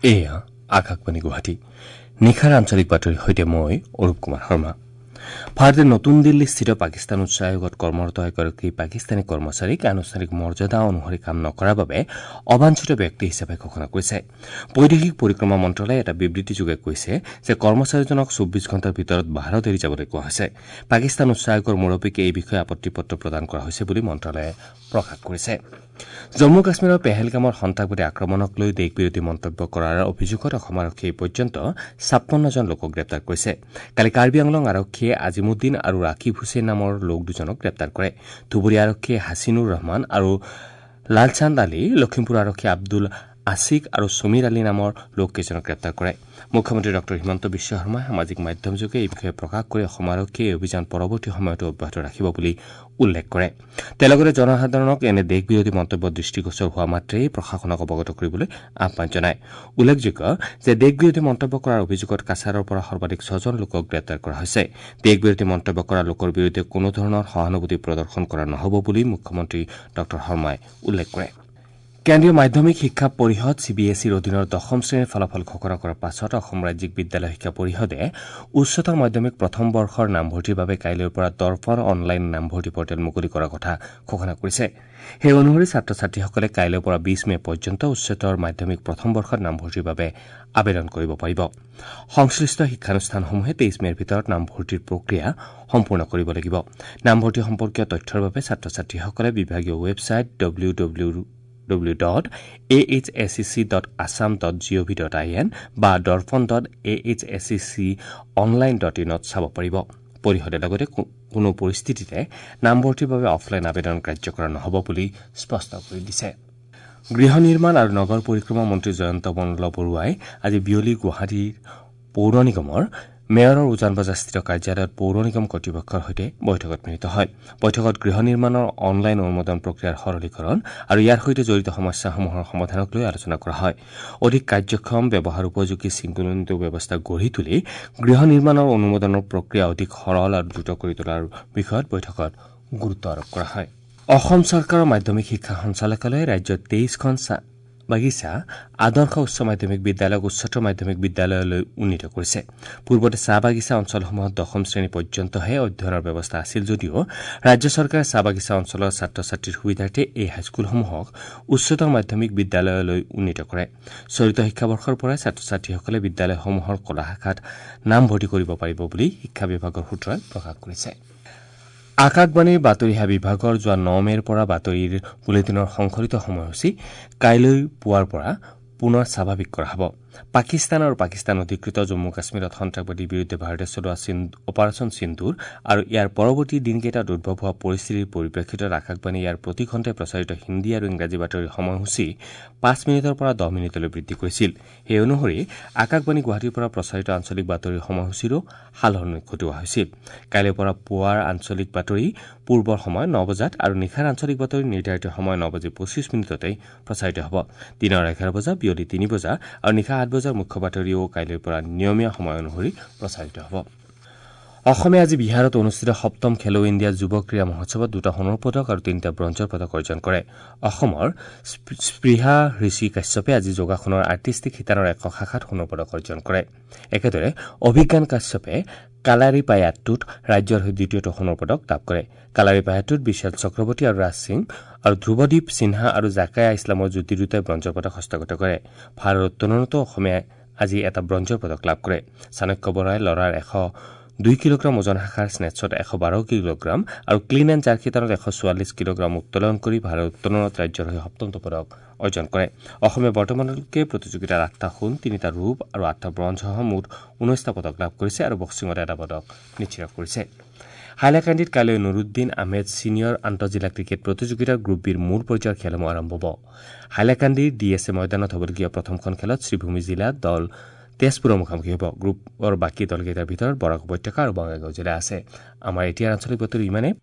এয়া আকাশবাণী গুৱাহাটী। নিশাৰ আঞ্চলিক বাতৰিৰ সৈতে মই অৰূপ কুমাৰ শৰ্মা। ভাৰতে নতুন দিল্লীস্থিত পাকিস্তান উচ্চ আয়োগত কৰ্মৰত এগৰাকী পাকিস্তানী কৰ্মচাৰীক আনুষ্ঠানিক মৰ্যাদা অনুসৰি কাম নকৰাৰ বাবে অবাঞ্ছিত ব্যক্তি হিচাপে ঘোষণা কৰিছে। বৈদেশিক পৰিক্ৰমা মন্ত্ৰালয়ে এটা বিবৃতিযোগে কৈছে যে কৰ্মচাৰীজনক 24 ঘণ্টাৰ ভিতৰত ভাৰত এৰি যাবলৈ কোৱা হৈছে। পাকিস্তান উচ্চ আয়োগৰ মুৰব্বীক এই বিষয়ে আপত্তি পত্ৰ প্ৰদান কৰা হৈছে বুলি মন্ত্ৰালয়ে প্ৰকাশ কৰিছে। জম্মু কাশ্মীৰৰ পেহেলগামৰ সন্ত্ৰাসবাদী আক্ৰমণক লৈ দেশবিৰোধী মন্তব্য কৰাৰ অভিযোগত অসম আৰক্ষীয়ে এই পৰ্যন্ত ৫৬ জন লোকক গ্ৰেপ্তাৰ কৰিছে। কালি কাৰ্বি আংলং আৰক্ষীয়ে আজিমুদ্দিন আৰু ৰাকিব হুছেইন নামৰ লোক দুজনক গ্ৰেপ্তাৰ কৰে। ধুবুৰী আৰক্ষীয়ে হাছিনুৰ ৰহমান আৰু লালচান্দ আলী, লখিমপুৰ আৰক্ষীয়ে আব্দুল আছিক আৰু সমীৰ আলী নামৰ লোককেইজনক গ্ৰেপ্তাৰ কৰে। মুখ্যমন্ত্ৰী ডঃ হিমন্ত বিশ্ব শৰ্মাই সামাজিক মাধ্যমযোগে এই বিষয়ে প্ৰকাশ কৰি অসম আৰক্ষীয়ে এই অভিযান পৰৱৰ্তী সময়তো অব্যাহত ৰাখিব বুলি উল্লেখ কৰে। তেওঁ লগতে জনসাধাৰণক এনে দেশবিৰোধী মন্তব্য দৃষ্টিগোচৰ হোৱা মাত্ৰেই প্ৰশাসনক অৱগত কৰিবলৈ আহ্বান জনায়। উল্লেখযোগ্য যে দেশবিৰোধী মন্তব্য কৰাৰ অভিযোগত কাছাৰৰ পৰা সৰ্বাধিক ৬জন লোকক গ্ৰেপ্তাৰ কৰা হৈছে। দেশবিৰোধী মন্তব্য কৰা লোকৰ বিৰুদ্ধে কোনো ধৰণৰ সহানুভূতি প্ৰদৰ্শন কৰা নহ'ব বুলি মুখ্যমন্ত্ৰী ডঃ শৰ্মাই উল্লেখ কৰে। কেন্দ্ৰীয় মাধ্যমিক শিক্ষা পৰিষদ চিবিএছইৰ অধীনৰ দশম শ্ৰেণীৰ ফলাফল ঘোষণা কৰাৰ পাছত অসম ৰাজ্যিক বিদ্যালয় শিক্ষা পৰিষদে উচ্চতৰ মাধ্যমিক প্ৰথম বৰ্ষৰ নামভৰ্তিৰ বাবে কাইলৈৰ পৰা দৰ্পণ অনলাইন নামভৰ্তি পৰ্টেল মুকলি কৰাৰ কথা ঘোষণা কৰিছে। সেই অনুসৰি ছাত্ৰ ছাত্ৰীসকলে কাইলৈৰ পৰা ২০ মে পৰ্যন্ত উচ্চতৰ মাধ্যমিক প্ৰথম বৰ্ষত নামভৰ্তিৰ বাবে আবেদন কৰিব পাৰিব। সংশ্লিষ্ট শিক্ষানুষ্ঠানসমূহে ২৩ মেৰ ভিতৰত নামভৰ্তিৰ প্ৰক্ৰিয়া সম্পূৰ্ণ কৰিব লাগিব। নামভৰ্তি সম্পৰ্কীয় তথ্যৰ বাবে ছাত্ৰ ছাত্ৰীসকলে বিভাগীয় ৱেবছাইট www.ahsec.assam.gov.in বা darpan.ahsec.online.in চাব পাৰিব। পৰিষদে লগতে কোনো পৰিস্থিতিতে নামভৰ্তিৰ বাবে অফলাইন আবেদন গ্ৰাহ্য কৰা নহ'ব বুলি স্পষ্ট কৰি দিছে। গৃহ নিৰ্মাণ আৰু নগৰ পৰিক্ৰমা মন্ত্ৰী জয়ন্ত মল্ল বৰুৱাই আজি বিয়লি গুৱাহাটীৰ পৌৰ নিগমৰ মেয়ৰৰ উজানবজাৰস্থিত কাৰ্যালয়ত পৌৰ নিগম কৰ্তৃপক্ষৰ সৈতে বৈঠকত মিলিত হয়। বৈঠকত গৃহ নিৰ্মাণৰ অনলাইন অনুমোদন প্ৰক্ৰিয়াৰ সৰলীকৰণ আৰু ইয়াৰ সৈতে জড়িত সমস্যাসমূহৰ সমাধানক লৈ আলোচনা কৰা হয়। অধিক কাৰ্যক্ষম, ব্যৱহাৰ উপযোগী শৃংখলিত ব্যৱস্থা গঢ়ি তুলি গৃহ নিৰ্মাণৰ অনুমোদনৰ প্ৰক্ৰিয়া অধিক সৰল আৰু দ্ৰুত কৰি তোলাৰ বিষয়ত বৈঠকত গুৰুত্ব আৰোপ কৰা হয়। অসম চৰকাৰৰ মাধ্যমিক শিক্ষা সঞ্চালকালয়ে ৰাজ্যত ২৩খন চাহ বাগিচা আদৰ্শ উচ্চ মাধ্যমিক বিদ্যালয়ক উচ্চতৰ মাধ্যমিক বিদ্যালয়লৈ উন্নীত কৰিছে। পূৰ্বতে চাহ বাগিচা অঞ্চলসমূহত দশম শ্ৰেণী পৰ্যন্তহে অধ্যয়নৰ ব্যৱস্থা আছিল যদিও ৰাজ্য চৰকাৰে চাহ বাগিচা অঞ্চলৰ ছাত্ৰ ছাত্ৰীৰ সুবিধাৰ্থে এই হাইস্কুলসমূহক উচ্চতৰ মাধ্যমিক বিদ্যালয়লৈ উন্নীত কৰে। চলিত শিক্ষাবৰ্ষৰ পৰাই ছাত্ৰ ছাত্ৰীসকলে বিদ্যালয়সমূহৰ কলা শাখাত নামভৰ্তি কৰিব পাৰিব বুলি শিক্ষা বিভাগৰ সূত্ৰই প্ৰকাশ কৰিছে। আকাশবাণীৰ বাতৰি সেৱা বিভাগৰ যোৱা ৯ মেৰ পৰা বাতৰিৰ বুলেটিনৰ সংশোধিত সময়সূচী কাইলৈ পুৱাৰ পৰা পুনৰ স্বাভাৱিক কৰা হ'ব। পাকিস্তান আৰু পাকিস্তান অধিকৃত জম্মু কাশ্মীৰত সন্ত্ৰাসবাদীৰ বিৰুদ্ধে ভাৰতে চলোৱা অপাৰেচন সিন্দুৰ আৰু ইয়াৰ পৰৱৰ্তী দিনকেইটাত উদ্ভৱ হোৱা পৰিস্থিতিৰ পৰিপ্ৰেক্ষিতত আকাশবাণীয়ে ইয়াৰ প্ৰতি ঘণ্টাই প্ৰচাৰিত হিন্দী আৰু ইংৰাজী বাতৰিৰ সময়সূচী ৫ মিনিটৰ পৰা ১০ মিনিটলৈ বৃদ্ধি কৰিছিল। সেই অনুসৰি আকাশবাণী গুৱাহাটীৰ পৰা প্ৰচাৰিত আঞ্চলিক বাতৰিৰ সময়সূচীৰো সালসলনি ঘটোৱা হৈছিল। কাইলৈৰ পৰা পুৱাৰ আঞ্চলিক বাতৰি পূৰ্বৰ সময় ৯ বজাত আৰু নিশাৰ আঞ্চলিক বাতৰি নিৰ্ধাৰিত সময় ৯:২৫ প্ৰচাৰিত হ'ব। দিনৰ ১১ বজা, বিয়লি ৩ বজা আৰু নিশা ৮ বজাৰ মুখ্য বাতৰিও কাইলৈৰ পৰা নিয়মীয়া সময় অনুসৰি প্ৰচাৰিত হ'ব। অসমে আজি বিহাৰত অনুষ্ঠিত সপ্তম খেলো ইণ্ডিয়া যুৱ ক্ৰীড়া মহোৎসৱত ২টা সোণৰ পদক আৰু ৩টা ব্ৰঞ্জৰ পদক অৰ্জন কৰে। অসমৰ স্পৃহা ঋষি কাশ্যপে আজি যোগাসনৰ আৰ্টিষ্টিক শিতানৰ একক শাখাত সোণৰ পদক অৰ্জন কৰে। একেদৰে অভিজ্ঞান কাশ্যপে কালাৰিপায়াট্টুত ৰাজ্যৰ হৈ দ্বিতীয়টো সোণৰ পদক লাভ কৰে। কালাৰিপায়াট্টুত বিশাল চক্ৰৱৰ্তী আৰু ৰাজ সিং আৰু ধ্ৰুৱদীপ সিনহা আৰু জাকায়া ইছলামৰ যুটি দুটাই ব্ৰঞ্জৰ পদক হস্তগত কৰে। ভাৰত উত্তোলনতো অসমে আজি এটা ব্ৰঞ্জৰ পদক লাভ কৰে। চাণক্য বৰাই ল'ৰাৰ ১০২ কিলোগ্ৰাম ওজন শাখাৰ স্নেটছত ১১২ কিলোগ্ৰাম আৰু ক্লিন এণ্ড জাৰ্ক শিতানত ১৪৪ কিলোগ্ৰাম উত্তোলন কৰি ভাৰত উত্তোলনত ৰাজ্যৰ হৈ সপ্তমটো পদক অৰ্জন কৰে। অসমে বৰ্তমানলৈকে প্ৰতিযোগিতাত ৮টা সোণ, ৩টা ৰূপ আৰু ৮টা ব্ৰঞ্জসহ মুঠ ১৯টা পদক লাভ কৰিছে আৰু বক্সিঙত এটা পদক নিশ্চিত কৰিছে। হাইলাকান্দিত কাইলৈ নুৰুদ্দিন আহমেদ ছিনিয়ৰ আন্তঃজিলা ক্ৰিকেট প্ৰতিযোগিতাৰ গ্ৰুপ বিৰ মূল পৰ্যায়ৰ খেলসমূহ আৰম্ভ হ'ব। হাইলাকান্দিৰ ডি এছ এ ময়দানত হ'বলগীয়া প্ৰথমখন খেলত শ্ৰীভূমি জিলা দল তেজপুৰৰ মুখামুখি হ'ব। গ্ৰুপৰ বাকী দলকেইটাৰ ভিতৰত বৰাক উপত্যকা আৰু বঙাইগাঁও জিলা আছে। আমাৰ এতিয়াৰ আঞ্চলিক বাতৰি ইমানেই।